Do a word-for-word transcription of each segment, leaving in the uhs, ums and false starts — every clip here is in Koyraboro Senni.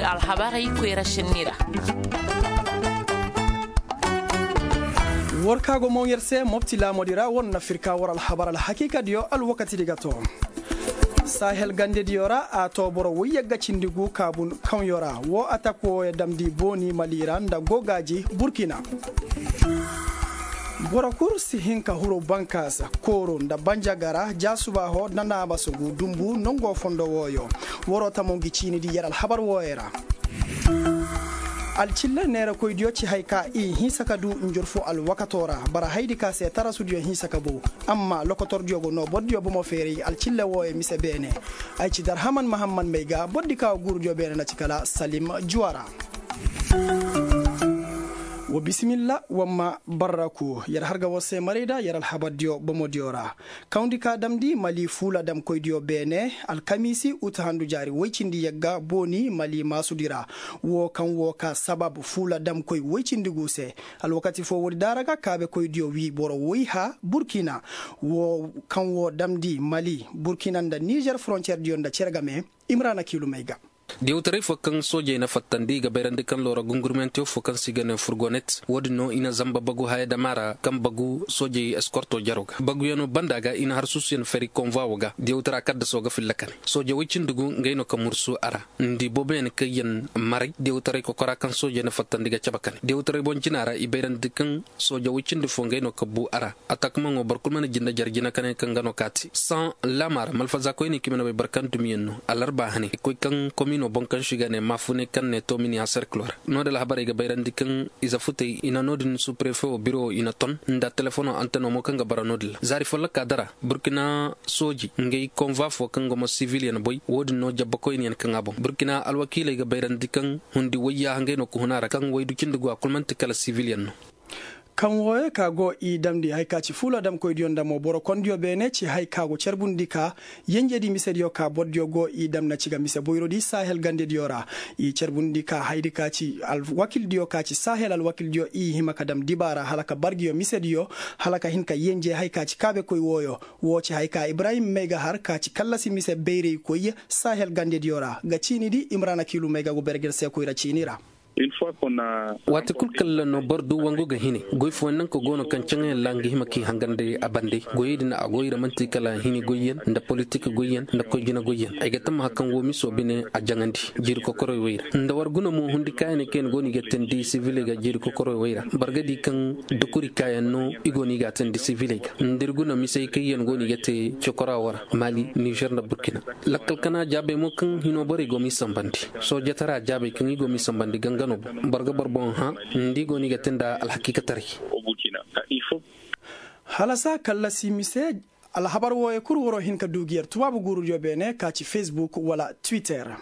Alhabarey koyra sinni ra. War ka go moŋ yer se mopti laamodi ra war na firka war alhabar alhakiikadiyo alwakatidi ga to. Sahel gandediyo ra a to boro woy yagga cindi gu kaabun kaŋyo ra wo atak wooyo damndi booni mali ra nda gogaaji burkina. Boro kul si hin ka huru bankaasa kooro nda banjagara jaasuba ho nda naabasugu dumbu nongo fondo wooyo. Waroo tamoŋ gi ciinidi yer alhabar wooyo ra. Alcille neerakoydiyo ci hay ka i hinsa ka du njurfu alwakatoo ra bara haydi ka se tarasudiyo hinsa ka bow. Amma lokotordiyo go noo bordiyo bomo feeray alcille wooyo mise beene. Ay ci darhaman mahamman may ga bordi ka guurudiyo beene na ci kala salim juwa ra. Wa bisimilla wamma barraku yer har ga war se maray da yer alhabardiyo bomodiyo ra. Kawndi ka damndi mali fuula damkoydiyo beene alkamiisi uta handu jaari woy cindi yagga booni mali maasudi ra. Wo kaŋ wo ka sabab fuula damkoy woy cindi gu se. Alwakati foo woodi daara ga kaabekoydiyo wii boro woy ha burkina. Wo kaŋ wo damndi mali burkina nda nizer foroncerdiyo nda cere game. Imrana kiilumey ga. Diyawtaray fo kaŋ soojey na fattandi i ga bayrandi kaŋ loora gungurmentiyo fo kaŋ se i ga ne furgonet wo-din no i na zamba bagu haya dama ra kaŋ bagu soojey eskorto jaro ga baguyaŋo banda ga i na har suusuyaŋ fari konvwa wo ga diyawtara kaddaso ga filla kane sooje woy cindi gu ngey no ka mursu a ra. Nda i booboyaŋ kaŋ yaŋ maray diyawtaray kokora kaŋ soojey na fattandi ga cabe kane diyawtaray boŋ jina ra i bayrandi kaŋ sooje woy cindi fo ngey no ka bu a ra. Atakmaŋo boro kulu mana jinde jare jina kane kaŋ ga no ka te saŋ laama ra malfaza koyney kaŋ i mana bay boro kaŋ dumiyaŋ no alarba hane i koy kaŋ komino boŋ kaŋ se i ga ne maafuney kaŋ ne tomini a serkilo ra. No-din alhabarey ga bayrandi kaŋ ize futey i na no-din suprefe wo biro i na ton nda telefono anteno mo kaŋ ga bara no-din ra zaari folloka dara burkina sooji ngey konva fo kaŋ ga mo sivilyaŋ boy wo-din no jabba koyniyaŋ kaŋ a boŋ burkina alwakiiley ga bayrandi kaŋ hundi wayya hangey no ka hun a ra kaŋ waydu cindi go a kulu man'ti kala sivilyaŋ no. Kaŋ wooyo ka go i damndi hari ka ci fuula damkoydiyo nda mo boro kondiyo beene ci hari ka go carbundi ka yenjedi misediyo ka bordiyo go i dam na ci ga mise boyrodi sahel gandediyo ra. I carbundi ka haydi ka ci alwakildiyo ka ci sahel alwakildiyo i hima ka dam dibaara hala ka bargiyo misediyo hala ka hin ka yenje hari ka ci kaabekoy wooyo. Woo ci hari ka ibrahim may ga har ka ci kallasi mise bayraykoy sahel gandediyo ra ga ciinidi imrana kiilu may ga go berger seekoy ra ciini ra. Waati kul kaŋ ra no boro du wangu ga hine goy fooyaŋ naŋ ka go no kaŋ caŋayaŋ ra nga hima k'i hangan day a bande goyey din a go ira man'ti kala hini goyyaŋ nda politik goyyaŋ nda koy jina goyyaŋ ay ga tammaha kaŋ woo miso bine a jaŋandi jiiri kokorey wey ra nda war guna mo hundi kaayaney kaŋ yaŋ go no i ga teendi siviley ga jiiri kokorey wey ra boro ga di kaŋ dukuri kaayaŋ no i go no i ga a teendi siviley ga nda ir guna misey kaŋ yaŋ go no i ga te cokora wo ra mali nizer nda burkina. Lakkal kana jaabey mo kaŋ hino borey go m'i sambandi soojataraa jaabey kaŋ i go m'i sambandi gangano boŋ boro ga boro boŋ hã nda i go no i ga te nda alhakiikataray. Halasa kallasi mise alhabar wooyo kul waroo hin ka du gi yer tubaabu guurudiyo beene ka ci facebook wala twitter.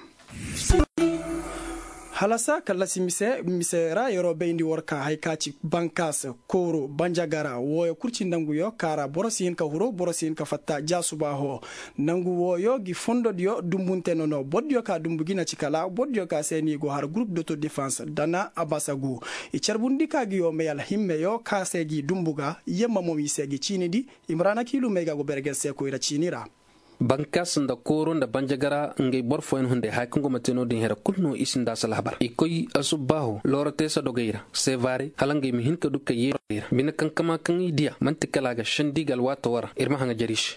Halasa kallasi mise mise ra yeroo bayndi war ka hari ka ci bankaas kooru banjagara wooyo kul ci ndanguyo ka ra boro si hin ka huru boro si hin ka fatta jaasuba hoo. Nangu wooyo gi fondodiyo dumbunte nono bordiyo ka dumbu gi na ci kala bordiyo ka se ni go har gurup doto defans dana abasagu. I carbundi ka gi yo may alhimmeyo ka se gi dumbu ga yemma mo i se gi ciinidi. Imrana kiilu may ga go berger seekoy ra ciini ra. Bankaas nda kooro nda banjagara ngey boro fooyaŋ hunday haya kaŋ go ma te no-din here kulu no i sinda a si alhabar i koy asubbaaho looro te sadogey ra sevare hala ngey ma hin ka du ka yeerey ra bine kankama kaŋ i diya man'ti kala a ga sendi ga alwaatoo ra ir ma haŋajer i se.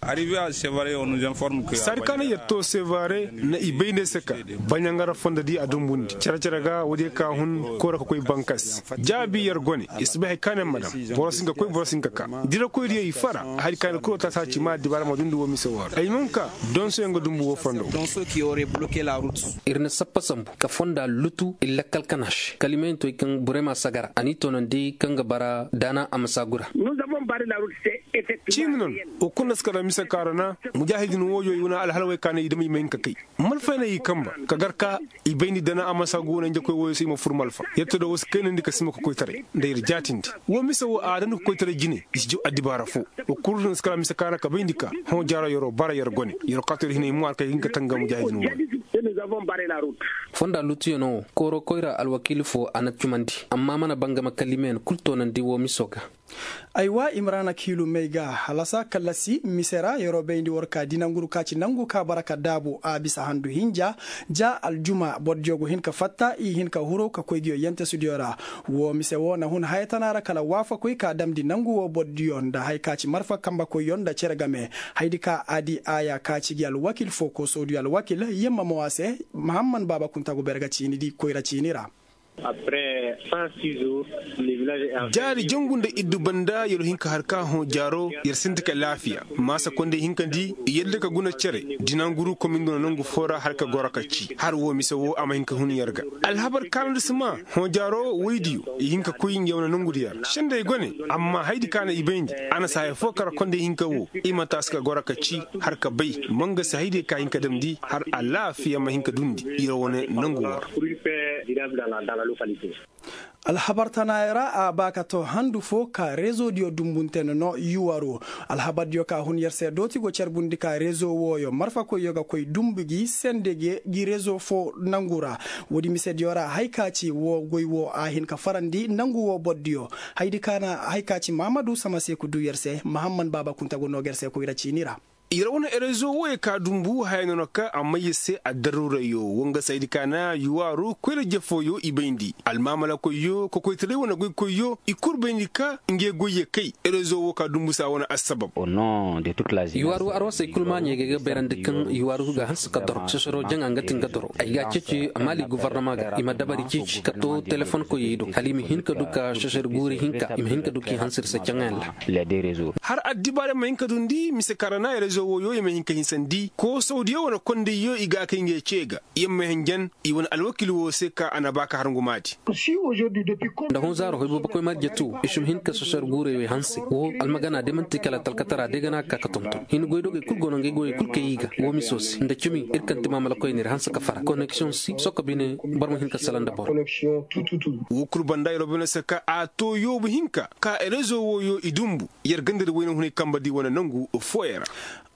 Saadi kaana yer to sevare na i bay ne se ka baɲaŋara fondo di a dumbundi care care ga woodiyo ka hun kooro ka koy bankas jaabi yer gone i si bay hari kaana yer ma daŋ boro si hin ka koy boro si hin ka ka dirakoydiyo i fara hari kaana kuro taasa ci ma addibaara ma dundi woo mise woo ra ay ma hin ka donsoyaŋ ga dumbu woo fondo. Ir na sappa sambu ka fonda lutu ir lakkal kana se kalimayaŋ to i kaŋ burema sagara a n'i toonandi kaŋ ga bara daana a ma saagu ra. Ciini noŋ wo kul na si kala mise kaarana mujaahidin wooyo i wane alhalawey kaana i dama i ma hin ka kay malfayna i kamba ka gar ka i bayndi dana a ma saagu wane njakoy wooyo se i ma fur malfa yer to da woo si kaynandi ka sima ka koytaray nda yer jaatindi woo mise woo a dandi ka koytaray jine i si jaw addibaara foo. Woo kul na si kala mise kaana ka bayndi ka hõ jaaro yeroo bara yer gone yeroo kaatoyra hinay mo har ka hin ka tanga mujaahidin wooyo. Fonda lutuyaŋo wo kooro koyra alwakiili fo a na cumandi, amma a mana bangama kalimeyaŋ kul toonandi woo miso ga. Aywa, imrana kiilumey ga halasa kallasi mise ra yeroo bayndi war ka di nanguru ka ci nangu ka bara ka daabu a bisa handu hinja. Ja aljuma bordiyo go hin ka fatta i hin ka huru ka koy ngiyo yentesidiyo ra. Woo mise woo na hun haya tana ra kala waafakoy ka damndi nangu woo bordiyo nda haya ka ci marfa kambakoyyo nda cere game. Haydi ka a di aaya ka ci gi alwakil foo koosodiyo alwakil yemma mo a se. Mahamman baaba kunta go ber ga ciini di koyra ciini ra. Jaari jangu nda iddu banda yer hin ka har ka hõ jaaro yer sinti ka laafiya. Maasa kondey hin ka di i yadda ka guna cere. Dinanguru komin duna nangu foo ra har ka goro ka ci har woo mise woo a ma hin ka hun yer ga. Alhabar kaanandi si maa hõ jaaro woydiyo i hin ka koy nga wane nangudi yer sendey gone. Amma haydi ka na i bayndi a na si haya foo kara kondey hin ka woo i ma taasi ka goro ka ci har ka bay. Mangasi haydey ka hin ka damndi har alaafiya ma hin ka dundi yer wane nangu woo ra. Alhabar tanaayoo ra a ba ka too handu foo ka reezodiyo dumbunte no no yuwaru. Alhabardiyo ka hun yer se dooti go carbundi ka reezo wooyo marfakoyyo ga koy dumbu gi sende gi reezo foo nangu ra. Woodi misediyo ra haya ka ci woo goy woo a hin ka farandi nangu woo bordiyo. Haydi ka na haya ka ci mahamadu samaseeku duu yer se mahamman baaba kunta go noo ga yer se koyra ciini ra. Yer wane erezo wooyo ka dumbu haya no no ka a may yer se addaruurayyo woo nga saydi ka na yuwaaru koyra jefooyo i bayndi almaamalakoyyo kokoytaray wane goykoyyo i kul bayndi ka ngey goyyo kay. Erezo woo ka dumbu se a wane assabab. Yuwaaru arwasey kul maaɲey ga ay ga bayrandi kaŋ yuwaaru ga hanse ka doro sosoro jaŋa nga ti nga doro ay ga a ceeci a maali guvarnama ga i ma dabari ceeci ka to telefonkoyey do hala i ma hin ka du ka sosoro guuri hinka i ma hin ka du k'i hanse iri se caŋayaŋ ra. Har addibaarey ma hin ka dundi mise kaŋ ra na rezo wooyo i ma hin ka hinsandi koosawdiyo wane kondayyo i ga a kay ngey cee ga. Yer ma hanjan i wane alwakiil woo se ka a na ba ka har ngumaadi. Nda hõ zaaro hoy boobokoy marjatu i si ma hin ka sosor guurey wey hanse woo almagana day man'ti kala talkatara day ga na ka ka tonton hin goydogey kul go no ngey goyey kul kay i ga woo miso se nda cimi ir kaŋ ti maamalakoy n'ir hanse ka fara koneksiyoŋ si sokko bine. Boro ma hin ka sala nda boro. Woo kul banda yer bine se ka a too yoobu hinka ka rezo wooyo i dumbu yer ganda di wayna hunay kamba di wane nangu fooyaŋ ra.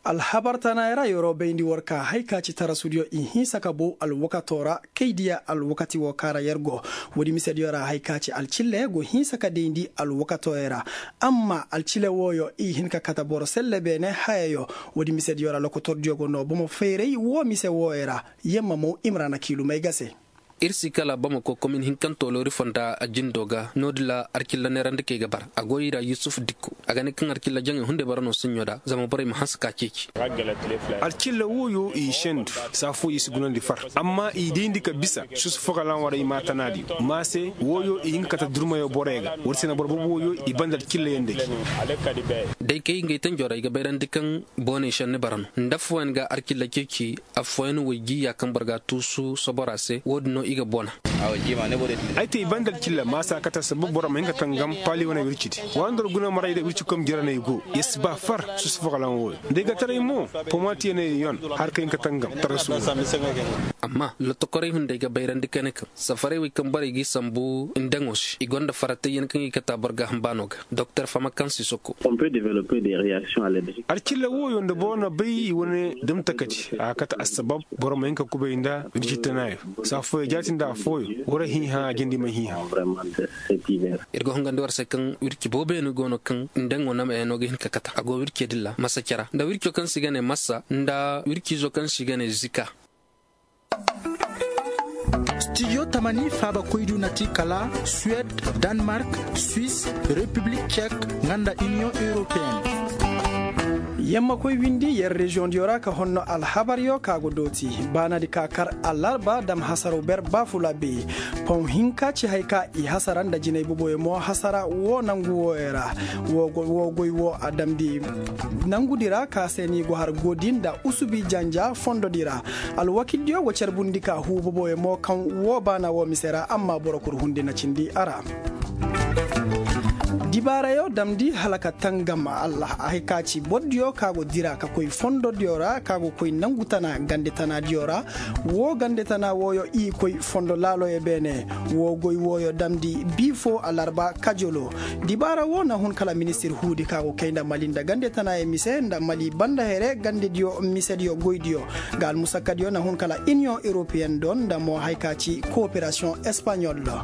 Alhabar tanaayoo ra yeroo bayndi war ka hay ka ci tarasudiyo i hinsa ka bow alwakatoo ra kay diya alwakati woo kaŋ ra yer go. Woodi misediyo ra hay ka ci alcille go hinsa ka dayndi alwakatooyoo ra. Amma alcille wooyo i hin ka kate boro selle beene hayayoo. Woodi misediyo ra lokotordiyo go noo bomo fayray woo mise wooyoo ra. Yamma mo imrana kiilumay ga se. Ir si kala bamako komin hinkantoo loori fonda a jindoo ga no-din ra alkilla neerandikey ga bara a go i ra yusuf dikko. A ga ne kaŋ alkilla jaŋey hunday bara no saɲɲo da zama borey ma hanse ka ceeci. Alkilla wooyo i sendu saa fooyoo i si gunandi far amma i dayndi ka bisa susu fogalaŋ waray maatanaadiyo ma se. Wooyo i hin ka kate durmayoo borey ga war se na boro boobo wooyo i banda alkilla yaŋ day. Day kay ngey tanjoo ra i ga bayrandi kaŋ booney šenni bara no nda affooyaŋ ga alkilla ceeci. Affooyaŋ way jiiya kaŋ boro ga a tuusu sobora se woo din no i ga bona. Ay te i banda alkilla maasa kate sabab boro ma hin ka tangam paali wane wircidi. Waandor guna maray da wirci kom jira no ay go yer si ba far susu fogalaŋ wooyo nda ay ga taray mo. Pomatiyaney yon har ka hin ka tangam tara suugu. Amma lotokorey hunday ga bayrandi kane kaŋ safarey wey kaŋ borey g'i sambu ndaŋo se i gonda faratayyaŋ kaŋ i kate a boro ga hambaanoo ga. Doktor fama kaŋ si soko. Alkilla wooyo nda boro na bay i wane damtakati a ga kate assabab boro ma hin ka kubay nda wirci tanaayoo saa fooyoo jaati nda affooyoo war a hiiha a jindi ma hiiha. Ir ga hungandi war se kaŋ wirci boobeeni go no kaŋ ndaŋo namayaŋo ga hin ka kate a go wircee din ra masa cara nda wirco kaŋ se i ga ne masa nda wirciizo kaŋ se i ga ne zika. Studio tamani faabakoydu na ti kala suwed, danmark, swis, repiblik cek, nga nda iniyoŋ europeen. Yammakoy windi yer reziyoŋdiyo ra ka honno alhabaryo ka go dooti baanadi ka kar alarba dam hasaraw ber baafula be. Pom hinka ci hay ka i hasara nda jinay boboyo mo hasara woo nangu wooyo ra. Woo goy woo a damndi nangudi ra ka se ni go har goodi nda usubi janja fondodi ra. Alwakildiyo go carbundi ka huu boboyo mo kaŋ woo baana woo mise ra amma boro kul hundi na cindi a ra. Dibaarayo damndi hala ka tangam, allah a hay ka ci bordiyo ka go dira ka koy fondodiyo ra ka go koy nangu tana gande tanaadiyo ra. Wo gande tana wooyo i koy fondo laaloyo beene. Wo goy wooyo damndi bii fo alarba kajolo. Dibaara wo na hun kala ministir huudi ka go kay nda mali nda gande tanayo mise nda mali banda here gandediyo misediyo goydiyo. Ga almusakkadiyo na hun kala iniyoŋ europeyen do nda mo hay ka ci kooperasiyoŋ espaɲol do.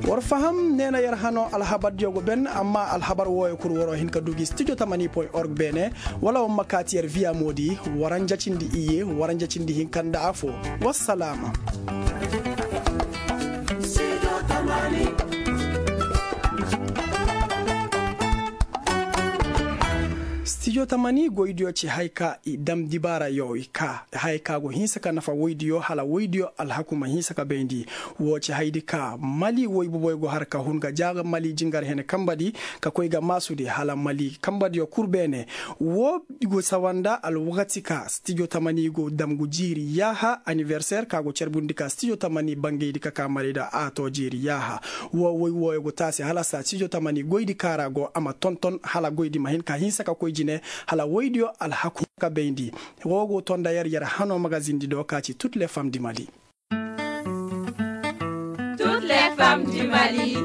War faham neena yer hano alhabardiyo go ben amma alhabar wooyo kul war'o hin ka du gi studio tamani point org beene. Wala war ma kaati yer viya moodi. War a njacindi iyye war a njacindi hinka nda afo. Wassalaama. Studio tamani goydiyo ci hay ka i dam dibaarayo i ka hay ka go hinsa ka nafa woydiyo hala woydiyo alhaku ma hinsa ka bayndi. Woo ci haydi ka mali woy boboyo go har ka hun ga jaaga mali jingar hene kambadi ka koy ga maasudi hala mali kambadiyo kul beene. Woo go sawa nda alwakati ka stijo tamani go dam go jiiri yaaha aniberser ka go carbundi ka stijo tamani bangaydi ka ka marayda a to jiiri yaaha. Woo woy wooyo go taasi hala saa stijo tamani goydi ka ra go a ma tonton hala goydi ma hin ka hinsa ka koy jine hala woydiyo alhaku ka bayndi. Woo go to nda yer yer hano magazindi do ka ci tut le fam di mali. Tut le fam di mali.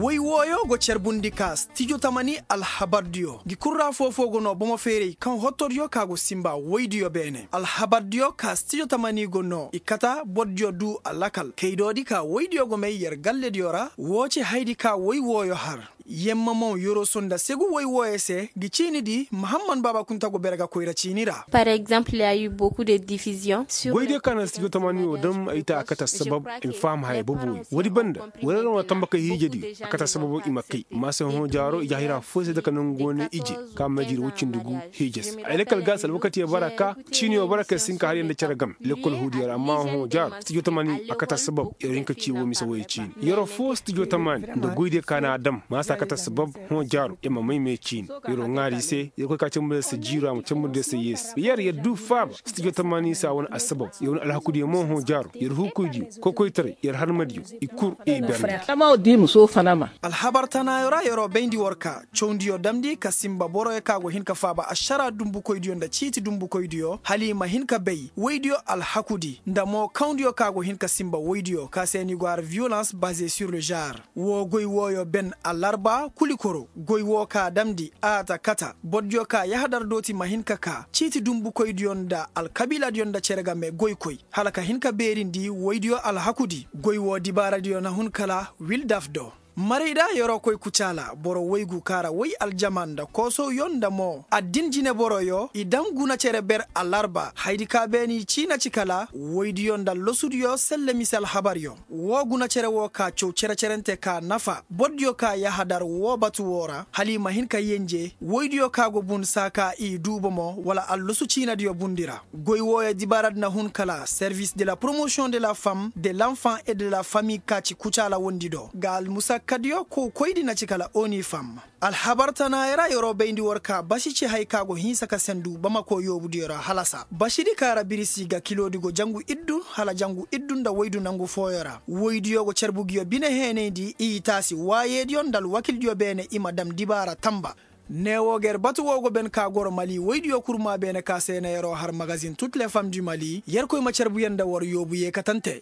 Woy wooyo go carbundi ka stijo tamani alhabardiyo gi kurra foofo go no bomo feeray kaŋ hottodiyo ka go simba woydiyo beene alhabardiyo ka stijo tamani go no i kata bordiyo du alakal kaydoodi ka woydiyo go may yer gallediyo ra woo ci haydi ka woy wooyo har. Yemma mo yoroso nda segu woy wooyo se gi ciinidi mahamman baaba kunta go bere ga koyra ciini ra. Par exemple ya yu boku de diviziyoŋ. Goydiyo ka na stijo tamani wo dam ay ta a kate assabab i ma faham haya boboyo woodi banda. Wala yer wane tambakay hiijadiyo a kate assababo i ma kay ma se hõ jaaro i ja hira foo se dake nangu go ne ije ka ma jiri woy cindi gu hiija se ay lakkal ga se alwakatiyo bara ka ciiniyo bara ka yer si hin ka har yer nda cere game lekkol huudiyo ra amma hõ jaaro stijo tamani a kate assabab yer wo hin ka ci woo mise wooyo ciini yer foo stijo tamani nda goydiyo ka na a dam ma se a kate assabab hõ jaaro yer ma may me ciini. Yer wo ŋaari i se yer koy ka cambu nda yer se jiiro a ma cambu nda yer se yeesi yer yer du faaba. Stijo tamani se a wane assabab yer wane alhakudiyo mo hõ jaaro yer huukoydiyo kokoytaray yer harmadiyo i kul i berndi. Alhabar tanaayo ra yer wo bayndi war ka cawndiyo damndi ka sinba boroyo ka go hin ka faaba ašara dunbukoydiyo nda ciiti dunbukoydiyo hala i ma hin ka bay woydiyo alhakudi nda mo kawndiyo ka go hin ka sinba woydiyo ka se ni go har viyolans baze sur le genre. Woo goy wooyo ben alarba kulikoro goy woo ka damndi a ta kata bordiyo ka yahadar dooti ma hin ka kaa ciiti dunbukoydiyo nda alkabiiladiyo nda cere game goykoy hala ka hin ka beerindi woydiyo alhakudi. Goy woo dibaaradiyo na hun kala wildaf do. Marayda yer wo koy kucaala boro woygu kaara woy aljamaa nda koosowyo nda mo addin jineboroyo i daŋ guna cere ber alarba haydi ka beeni ciina ci kala woydiyo nda losudiyo selle mise alhabaryo. Woo guna cere woo ka caw cere-cerente ka nafa bordiyo ka yahadar woo batu woo ra hala i ma hin ka yenje woydiyo ka go bun saa ka i duu bomo wala allosu ciinadiyo bundi ra. Goy wooyo dibaaradi na hun kala servis de la promosiyoŋ de la fam de lanfan e de la fami ka ci kucaala wondi do ga almusakkadiyo kow koydi na ci kala oni fam. Alhabar tanaayo ra yer wo bayndi war ka basi ci hay ka go hinsa ka sendu bamako yoobudiyo ra halasa basidi ka ra birisi ga kiloodi go jangu iddu hala jangu iddu nda woydu nangu fooyo ra woydiyo go carbu nguyo bine heenayndi i taasi waayeediyo nda alwakildiyo beene i ma dam dibaara tamba. Ne woo ga yer batu woo go ben ka goro mali woydiyo kurmaa beene ka se na yer wo har magazin tut le fam du mali yerkoy ma carbu yer nda war yoobu yeekatante.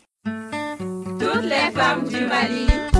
Tut le fam du mali.